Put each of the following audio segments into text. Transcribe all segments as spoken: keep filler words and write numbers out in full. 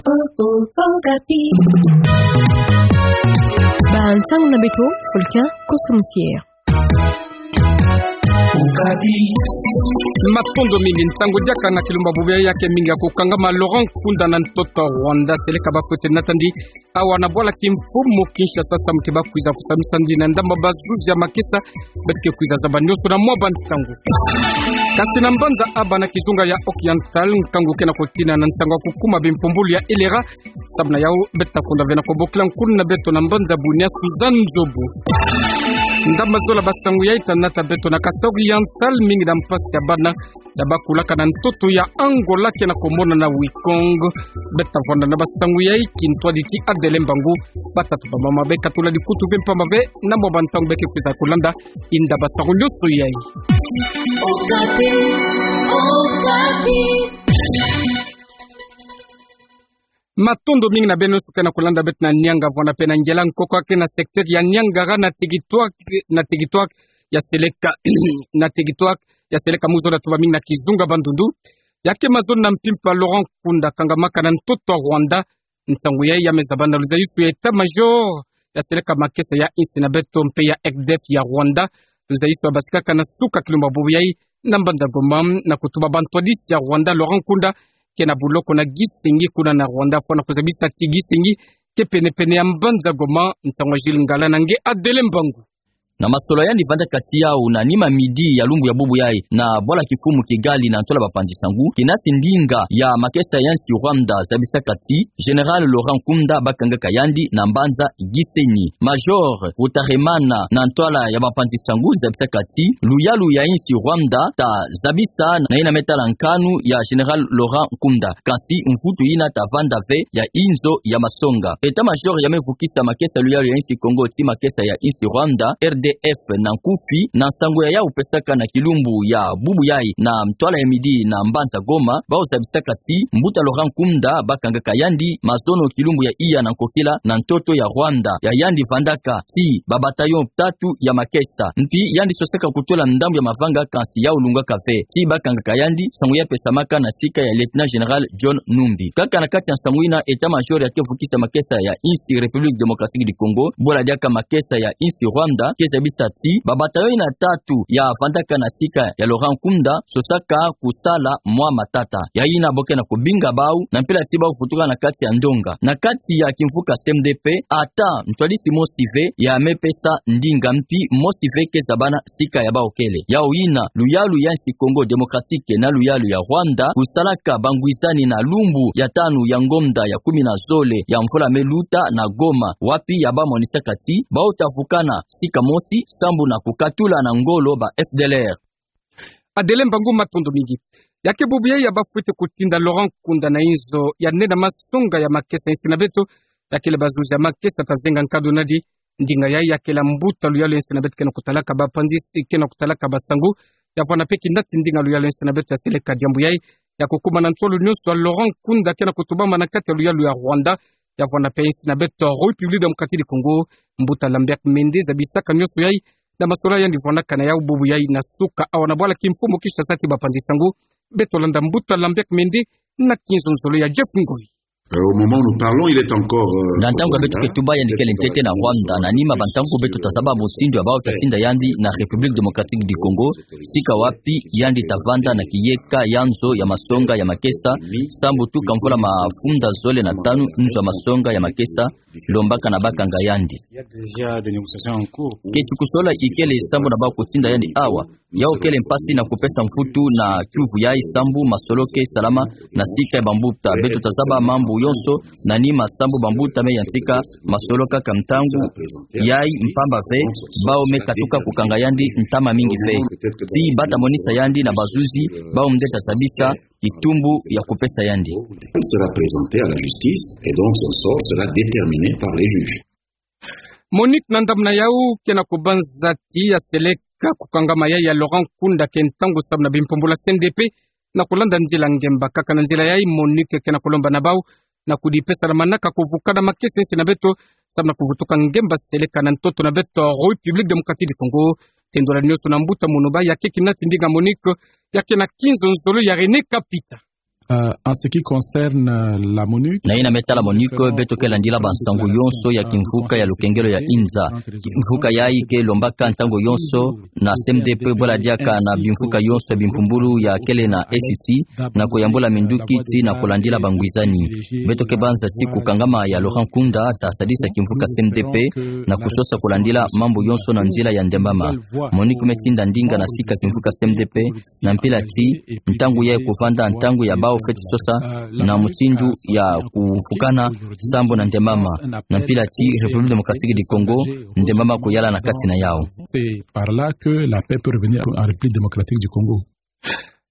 Okapi. Ba nsangu na beto, Fulkin Kosomusier. Matondo mingi. Ntangu diaka na kilumbu bubu ya ke mingi ya kukangama Laurent Nkunda na ntoto Rwanda, seleka ba kwete natandi awa na bwala kimfumu Kinshasa, samu ti ba kwiza kusamisa ndi na ndamba bazuzi ya makesa, beto ke kwiza zaba nyonso na mwa ba ntangu. Kasi na mbanza Aba na kizunga ya Oriental, nkangu ke na kotina na nsangu ya kukuma bimpumbulu ya Elera, samu na yau beto ta kunda ve na kobokila nkuna na beto na mbanza Bunia, Suzanne Nzobu. Ndamba zola ba nsangu yai ta nata beto na Kasaï Oriental, mingi na mpasi ya bana ya ba kulaka na ntoto ya Angola ke na komona na Wikong. Beto ta vwanda na ba nsangu yai, kintwadi ti Adele Mbangu. Batata, bamama, bekatula dikutu ve mpamba ve, na mwa ba ntangu beto ke kwiza kulanda inda ba nsangu nyonso yai. Okapi, Okapi. Matondo mingi na beno nyonso ke na kulanda beto na Nianga, vwanda pe na Ngela, nkoko ya ke na secteur ya Niangara, na territoire, na territoire ya seleka, na territoire ya seleka mu zola tuba mingi na kizunga Bandundu. Ya ke mazono na mpimpa Laurent Nkunda kangamaka na ntoto Rwanda. Nsangu yai ya me zaba na luzayusu ya état-major ya seleka makesa ya insi na beto mpe ya R D F ya Rwanda. Luzayusu ya basikaka na suka kilumbu bubu yai na mbanza Goma, na kutuba ba ntwadisi ya Rwanda Laurent Nkunda ke na buloko na Gisenyi kuna na Rwanda, fwana kuzabisa ti Gisenyi ke pene-pene ya mbanza Goma. Nsangu ya Jules Ngala na nge Adele Mbangu. Na masolo yandi vandaka ti yau na nima midi ya lumbu ya bubu yai na bwala kimfumu Kigali na ntwala bapanzi nsangu, kinati ndinga ya makesa ya insi Rwanda zabisaka ti Général Laurent Nkunda bakangaka yandi na mbanza Gisenyi. Major Rutaremana na ntwala ya bapanzi nsangu zabisaka ti luyalu ya insi Rwanda ta zabisa na yina me tala nkanu ya Général Laurent Nkunda. Kansi mvutu yina ta vanda ve ya inzo ya masonga. État-major ya me vukisa makesa luyalu ya insi Kongo ti makesa ya insi Rwanda, R D F na nkufi, na nsangu ya yau pesaka na kilumbu ya bubu yai na ntwala ya midi na mbanza Goma, bau zabisaka ti mbuta Laurent Nkunda bakangaka yandi mazono kilumbu ya iya na nkokila na ntoto ya Rwanda. Ya yandi vandaka ti ba bataillon tatu ya makesa. Mpi yandi sosaka kutula ndambu ya mavanga, kansi yau lungaka ve ti bakangaka yandi, nsangu ya pesamaka na sika ya Lieutenant Général John Numbi. Kaka na kati ya nsangu yina, état-major ya ke vukisa makesa ya insi République Démocratique du Congo, bwala diaka makesa ya insi Rwanda, ke zabisa ti ba bataillon yina tatu ya vandaka na sika ya Laurent Nkunda sosaka kusala mwa matata. Ya yina bo ke na kobinga bau na mpila ti bau vutuka na kati ya ndonga. Na kati ya kimvuka C M D P, ata ntwadisi mosi ve ya me pesa ndinga, mpi mosi ve ke zabana sika ya bau kele. Yau yina luyalu ya insi Congo Démocratique na luyalu ya Rwanda kusalaka bangwizani na lumbu ya tanu ya ngonda ya kumi na zole ya mvula me luta na Goma, wapi ya ba monisaka ti bau ta vukana sika mosi sambu na kukatula na ngolo ba F D L R. Adele Mbangu, matondo mingi. Ya ke bubu yai ya ba fwete kutinda Laurent Nkunda na inzo ya nena masonga ya makesa ya insi na beto, ya kele bazuzi ya makesa ta zenga nkado nadi. Ndinga yai ya kele mbuta luyalu ya insi na beto ke na kutalaka bapanzi, ke na kutalaka ba nsangu. Ya vwanda pe kinati ndinga luyalu ya insi na beto ya seleka diambu yai ya kukuma na ntolo nyonso ya Laurent Nkunda ke na kutubama na kati ya luyalu ya Rwanda. Ya vwanda pe insi na beto République Démocratique du Congo, mbuta Lambert Mende zabisaka nyonso yai na masolo yandi vwandaka na yau bubu yai na suka awa na bwala kimfumu Kinshasa ti bapanzi nsangu. Beto landa mbuta Lambert Mende na kinzonzolo ya Jeff Ngoi. Euh, au moment où nous parlons, il est encore, euh, au Rwanda. Na ntangu beto ke tuba, yandi kele ntete na Rwanda. Na nima ba ntangu beto ta zaba mutindu ya bau ta tinda yandi na République Démocratique du Congo, sika wapi yandi ta vanda na kiyeka ya nzo ya masonga ya makesa, sambu tuka mvula mafunda zole na tanu nzo ya masonga ya makesa lombaka na bakanga yandi. Il y a déjà des négociations en cours. Keti kusola ikele sambu na bau kutinda yandi awa. Yau kele mpasi na kupesa mvutu na kiuvu yai sambu masolo ke salama na sika ya bambuta. Beto ta zaba mambu yonso na nima sambu bambuta me yantika masolo kaka ntangu yai, mpamba ve bau me katuka kukanga yandi ntama mingi ve. Ti ba ta monisa yandi na bazuzi, bau nde ta zabisa kitumbu ya kupesa yandi. Sera présenté à la justice et donc son sort sera déterminé par les juges. Monique, na ndambu na yau, ke na kubanza ti ya seleka kukangama yai ya Laurent Nkunda ke ntangu sambu na bimpumbulu ya C N D P na kulanda nzila ngemba. Kaka na nzila yai, Monique ke na kulomba na bau na kudipesa na manaka kuvukana makesa ya insi na beto, sambu na kuvutuka ngemba seleka na ntoto na beto République Démocratique du Congo. Tendula nyonso na mbuta Munuba, ya ke kinati ndinga Monique, ya ke na kinzonzolo ya René Kapita. Euh, en ce qui concerne, euh, la MONUC, na yina me tala MONUC, beto ke landila bansangu yonso ya kimvuka ya lukengelo ya inza. Kimvuka yayi ke lombaka ntangu yonso na C M D P bwela diaka na bimvuka yonso ya bimpumbulu ya kele na E A C, na kuyambula minduki tii na kulandila bangwizani. Beto ke banza tii kukangama ya Laurent Nkunda ta sadisa kimvuka C M D P na kusosa kulandila mambu yonso na nzila ya ndembama. MONUC me tinda ndinga na sika kimvuka C M D P, na mpila tii ntangu yayi kuvanda ntangu ya bawu fweti sosa na mutindu ya kuvukana sambu na ndembama, na mpila tii République Démocratique du Congo, ndembama kuyala na kati na yawu. C'est par là que la paix peut revenir en République Démocratique du Congo.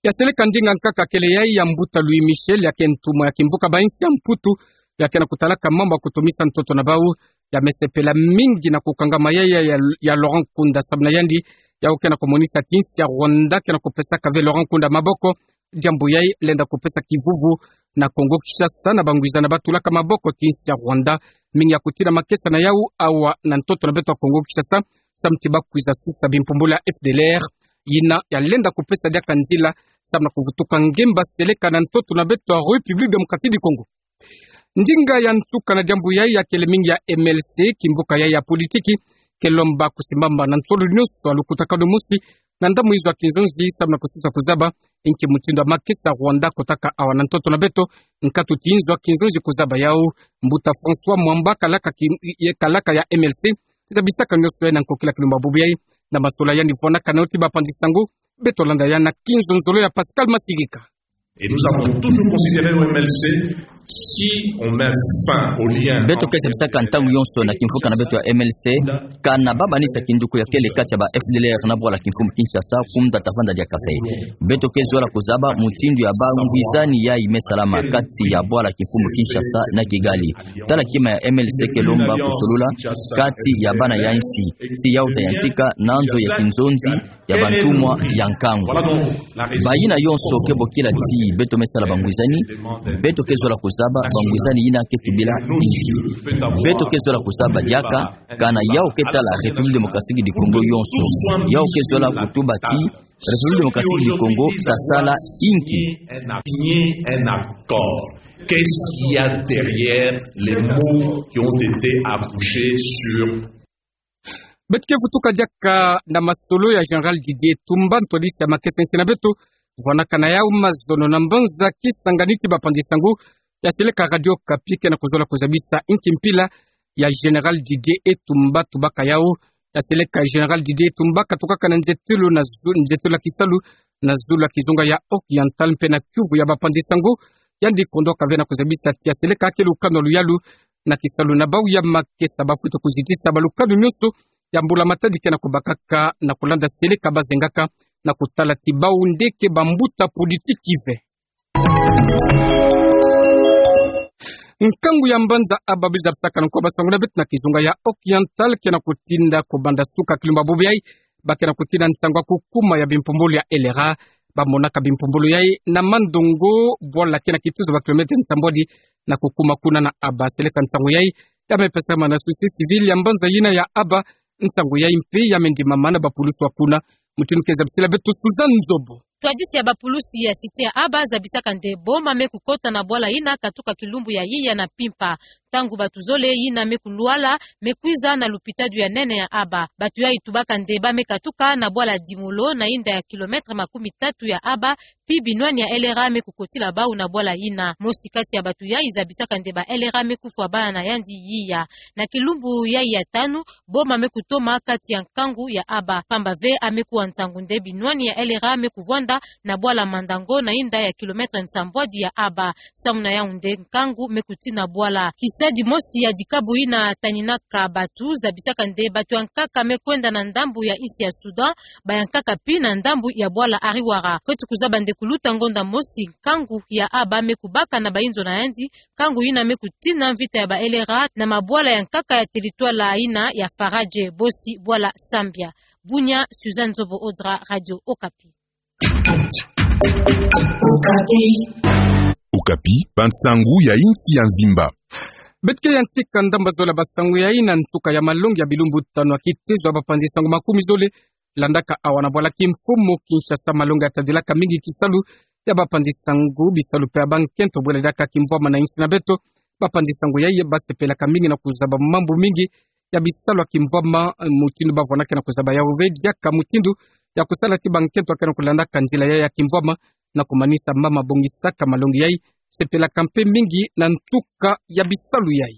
Ya seleka ndinga nkaka kele yayi ya mbuta Louis Michel, ya ke ntumwa ya kimvuka ba insi ya Mputu, ya ke na kutalaka mambu ya kutumisa ntoto na bawu, ya me sepela mingi na kukangama yayi ya, ya, ya Laurent Nkunda sababu na yandi, yawu ke na kumonisa ti insi ya Rwanda ke na kupesaka ve Laurent Nkunda maboko, diambu yayi lenda kupesa kivuvu na Congo Kinshasa na bangwizana ba tulaka maboko ti insi ya Rwanda, mingi ya kutina makesa na yawu awa na ntoto na beto ya Congo Kinshasa, samu ti ba kwiza susa bimpumbulu ya F D L R, yina ya lenda kupesa diaka nzila samu na kuvutuka ngemba seleka na ntoto na beto ya République Démocratique du Congo. Ndinga ya nsuka na diambu yayi ya kele mingi ya M L C, kimvuka yayi ya politiki ke lomba kusimbama na nsolo nyonso ya lukutakanu mosi na ndambu nzo ya kinzonzi samu na kusosa kuzaba inki mutindu ya makesa Rwanda kotaka awa na ntoto na beto, nkatu ti nzo ya kinzonzi kuzaba yawu. Mbuta François Mwamba, kalaka ki-, ye kalaka ya M L C, zabisaka nyonso yayi na nkokila kilumbu ya bubu yayi na masolo ya yandi. Vwanakana yo ti bapanzi sango, beto landa ya na kinzonzolo ya Pascal Masirika. Et nous avons toujours considéré au M L C, si on met fin au lien. Beto ke zabisaka ntangu yonso na kimvuka na beto ya M L C, kana ba manisa kinduku ya kele kati ya ba F D L R na bwala kimfumu Kinshasa, kunda ta vanda diaka ve. Beto ke zola kuzaba mutindu ya bangwizani yayi me salama kati ya bwala kimfumu Kinshasa na Kigali. Tala kima ya M L C ke lomba kusolula kati ya bana ya insi, tii yawu ta yantika na nzo ya kinzonzi ya bantumwa ya nkangu. Bayina yonso ke bokila ti beto me sala bangwizani, beto ke zola kuzaba bangwizani yina ke tubila inki. Beto ke zola kuzaba diaka kana yawu ke tala République Démocratique du Congo yonso. Yawu ke zola kutuba ti République Démocratique du Congo ta sala inki. Signer un accord. Qu'est-ce qu'il y a derrière les mots qui ont été accouchés sur Beto ke vutuka diaka na masolo ya Général Didier Tumba, ntwadisi ya makesa insi na beto. Vwanakana yawu mazono na mbanza kisangani ti bapanzi sango, ya seleka Radio Okapi ke na kuzola kuzabisa inki mpila ya Général Didier Tumba tubaka yawu. Ya seleka Général Didier Tumba katukaka na nzetelo na zu-, nzetelo ya kisalu na zulu ya kizunga ya Oriental mpe na kiuvu ya bapanzi sango. Yandi kondwaka ve na kuzabisa ti ya seleka ke lukanu ya luyalu na kisalu na bawu ya makesa ba fwete kuzitisa balukanu nyonso ya mbula-matadi ke na kubakaka na kulanda seleka ba zengaka na kutala ti bawu nde ke bambuta politiki ve. Nkangu ya mbanza Aba bu zabisaka na nko basango na beto na kizunga ya Oriental ke na kutinda kubanda suka kilumbu ya bubu yayi, ba ke na kutina nsangu ya kukuma ya bimpumbulu ya L R A. Ba monaka bimpumbulu yayi na Mandongo, bwala ke na kituzu ba kilomètre nsambwadi na kukuma kuna na Aba. Seleka nsangu yayi ya me pesama na société civile ya mbanza yina ya Aba. Nsangu yayi mpe ya me ndimama na bapulusu ya kuna. Mutindu ke zabisila beto Suzanne Nzobo. Ntwadisi ya bapulusu ya cité ya Aba zabisaka nde boma me kukota na bwala yina katuka kilumbu ya yiya na mpimpa. Ntangu bato zole yina me kulwala me kwiza na lupitalu ya nene ya Aba. Bato yayi tubaka nde ba me katuka na bwala Dimolo na inda ya kilomètre makumi tatu ya Aba, pi binwani ya L R A me kukotila bawu na bwala yina. Mosi kati ya bato yayi zabisaka nde ba L R A me kufwa bana na yandi yiya. Na kilumbu yayi ya tanu, boma me kutoma kati ya nkangu ya Aba. Pamba ve a me kuwa nsangu nde binwani ya L R A me kuvwanda na bwala Mandango na inda ya kilomètre nsambwadi ya Aba. Samu na yawu nde nkangu me kutina bwala. Kisadi mosi ya dikabu yina taninaka bato zabisaka nde bato ya nkaka me kwenda na ndambu ya insi ya Soudan, ba ya nkaka pi na ndambu ya bwala Ariwara. Fweti kuzaba nde kuluta ngonda mosi, nkangu ya Aba me kubaka na bayinzo na yandi, nkangu yina me kutina mvita ya ba L R A na mabwala ya nkaka ya territoire yina ya Faradje, bosi bwala Sambia. Bunia, Suzanne Nzobo Odra, Radio Okapi. Okapi, bansangu ya insi ya mvimba. Beto ke yantika ndambu zola basangu yayi na nsuka ya malongi ya bilumbu tanu ya kitezo ya bapanzi sango makumi zole. Landaka awa na bwala kimfumu Kinshasa malongi ya tadilaka mingi kisalu ya bapanzi sango bisalu mpe ya bankento bwela diaka kimvwama na insi na beto. Bapanzi sango yai basepelaka mingi na kuzaba mambu mingi ya bisalu ya kimvwama, eh, mutindu bavwanaka na kuzaba yau ve diaka mutindu ya kusala ti bankento akena kulandaka nzila yai ya kimvwama na kumanisa mama bongisaka malongi yai, sepelaka mpe mingi na ntuka ya bisalu yai.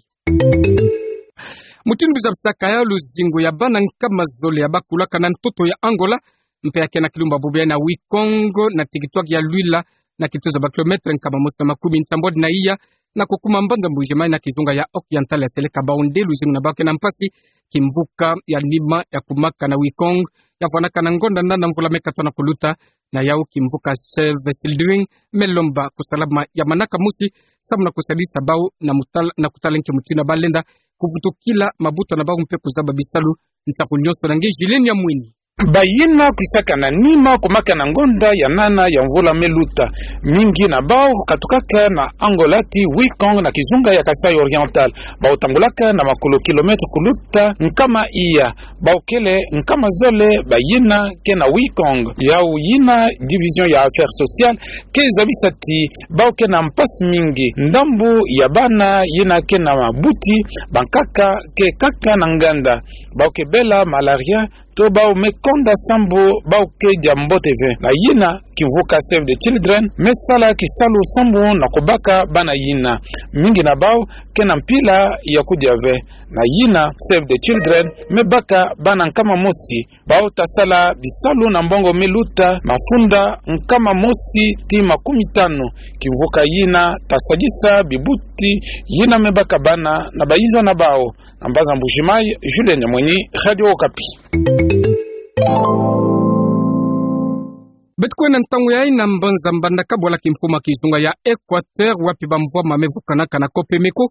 Mutindu bizabisaka ya luzingu ya bana nkama zole ya bakulaka na ntoto ya Angola, mpe ya kena kilumbu ya bubu yai na Wikong, na tikitwaki ya Luila, na kituzo ba kilometre nkama mosi na makumi nsambwadi na iya, na kukuma mbanza Mbuji-Mayi na kizunga ya Occidental, ya seleka bau nde luzingu na bau kena mpasi, kimvuka ya nima ya kumaka na Wikong, ya vwanaka na ngonda nana mvula me katona kuluta, na yau kimvuka Save Children me lomba kusalama ya manaka mosi, samu na kusadisa bau na mutal-, na kutala nki mutindu balenda kuvutukila mabuta na bau mpe kuzaba bisalu. Nsaku nyonso na nge Julien Nyamweni. Bayina kwisaka na nima kumaka na ngonda ya nana ya mvula me luta. Mingi na bau katukaka na Angola ti Wikong na kizunga ya Kasaï Oriental. Bau tangulaka na makulu kilometre kuluta nkama iya. Bau kele nkama zole bayina kena Wikong. Yau yina division ya affaires sociales ke zabisa ti bau kena mpasi mingi. Ndambu ya bana yina kena mabuti, bankaka ke kaka na nganda. Bau ke bela malaria, to bau me konda sambu bau ke dia mbote ve. Na yina kimvuka Save the Children me sala kisalu sambu na kubaka bana yina. Mingi na bau kena mpila ya kudia ve. Na yina Save the Children me baka bana nkama mosi. Bau ta sala bisalu na mbongo me luta mafunda nkama mosi ti makumi tanu. Kimvuka yina ta sadisa bibuti yina me baka bana na bayiza na bau. Na mbanza Mbuji-Mayi, Julien Nyamweni, Radio Okapi. Beto kwenda ntangu yai na mbanza Mbandaka, bwala kimfumu ya kizunga ya Equateur, wapi bamvwama me vukanaka na Copemeko,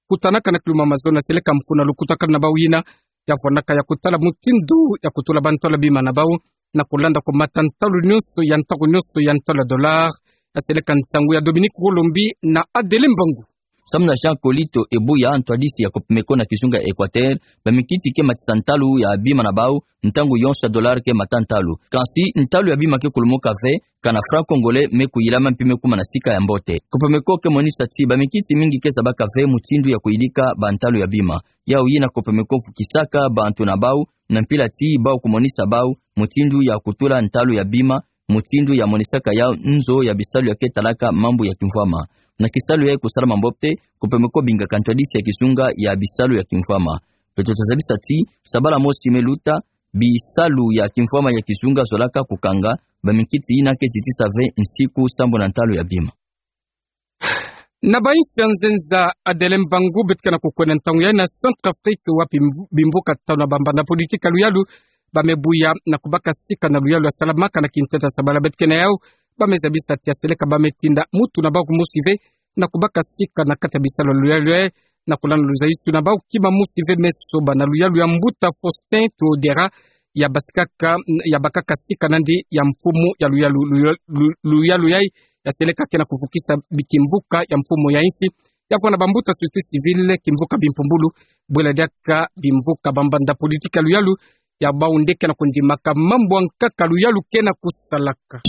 kutanaka na kilumbu ya mazono ya seleka mfunu na lukutakanu na bau yina ya vwanaka ya kutala mutindu ya kutula bantalu ya bima na bau, na kulanda kumata ntalu nyonso ya ntaku nyonso ya ntalu ya dollar. Ya seleka nsangu ya Dominique Wolombi na Adele Mbangu. Samu na Jean Colito Ebuya, ntwadisi ya Copemeko na kizunga ya Equateur, baminkiti ke matisa ntalu ya bima na bau, ntangu yonso ya dollar ke mata ntalu. Kansi ntalu ya bima ke kulumuka ve, kana franc congolais me kuyilama mpe me kuma na sika ya mbote. Copemeko ke monisa ti baminkiti mingi ke zabaka ve mutindu ya kuyidika bantalu ya bima. Yau yina Copemeko vukisaka bantu na bau, na mpila ti bau kumonisa bau mutindu ya kutula ntalu ya bima, mutindu ya monisaka yau nzo ya bisalu ya ke talaka mambu ya kimvwama. Na kisalu ya kusalama mbote, Copemeko bingaka ntwadisi ya kizunga ya bisalu ya kimvwama. Beto ta zabisa ti, sabala mosi me luta, bisalu ya kimvwama ya kizunga zolaka kukanga, baminkiti yina ke zitisa ve nsiku sambu na ntalu ya bima. Na bainsi ya nzenza, Adele Mbangu, beto ke na kukwenda ntangu yai na Centrafrique, wapi mvu-, bimvuka tanu ya bambanda politiki ya luyalu ba me buya na kubaka sika na luyalu ya salamaka na kinteta sabala. Beto ke na yau ba me zabisa ti ya seleka ba me tinda mutu na bau kumosi ve na kubaka sika na kati ya bisalu ya luyalu yai, na kulanda luzaisu na bau kima mosi ve me soba na luyalu ya mbuta Faustin Touadéra, ya basikaka, ya bakaka sika nandi ya mfumu ya luyalu, luyalu, lu-, luyalu yai, ya seleka ke na kuvukisa bi-, kimvuka ya mfumu ya insi, ya vwanda bambuta société civile, kimvuka bimpumbulu, bwela diaka bimvuka bambanda politiki ya luyalu, ya bau nde ke na kundimaka mambu ya nkaka luyalu ke na kusalaka.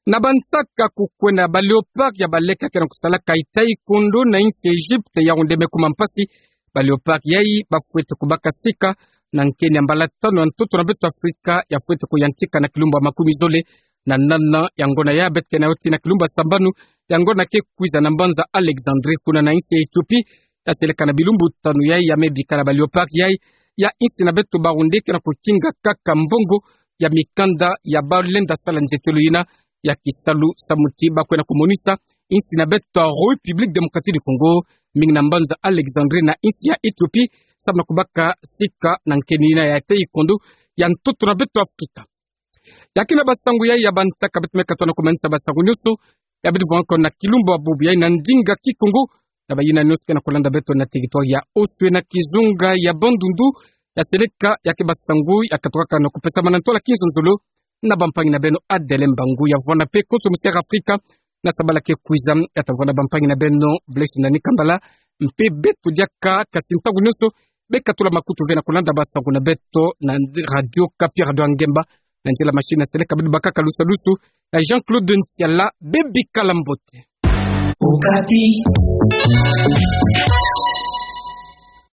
Na bansaka kukwenda, ba Léopards ya baleka ke na kusalaka taekwondo na insi ya Égypte, yau nde me kuma mpasi. Ba Léopards yai ba fwete kubaka sika na nkeni ya mbala tanu ya ntoto na beto Afrika, ya fwete kuyantika na kilumbu ya makumi zole na nana ya ngona ya beto ke na yau ti na kilumbu ya sambanu ya ngona ke kwiza na mbanza Alexandrie, kuna na insi ya Éthiopie. Ya seleka na bilumbu tanu yai ya me bikala ba Léopards yai ya insi na beto bau nde ke na kukinga kaka mbongo ya mikanda ya balenda sala nzetelo yina ya kisalu, samu ti ba kwenda kumonisa insi na beto ya République Démocratique du Congo, mingi na mbanza Alexandrie na insi ya Éthiopie, samu na kubaka sika na nkeni yina ya taekwondo ya ntoto na beto Afrika. Ya kina basango yai ya bansaka, beto me katono kumanisa basango nyonso ya bidi vwanga ko na kilumbu ya bubu yai na ndinga Kikongo, na bayina nyonso ke na kulanda beto na territoire ya Oswé na kizunga ya Bandundu. Ya seleka ya ke basango ya katukaka na kupesamana ntwala kinzonzolo na bampangi na beno Adele Mbangu, ya vwanda mpe konso Mister Afrika na sabala ke kwiza, ya ta vwanda bampangi na beno Blaise Nani Kambala, mpe beto diaka, kasi ntangu nyonso be katula makutu ve na kulanda basango na beto na Radio Okapi, Radio ya Ngemba, Nandila Machine Seleka, bidi bakaka lusa lusu, eh, Jean-Claude Ntiala, bebeka lambote. Okapi.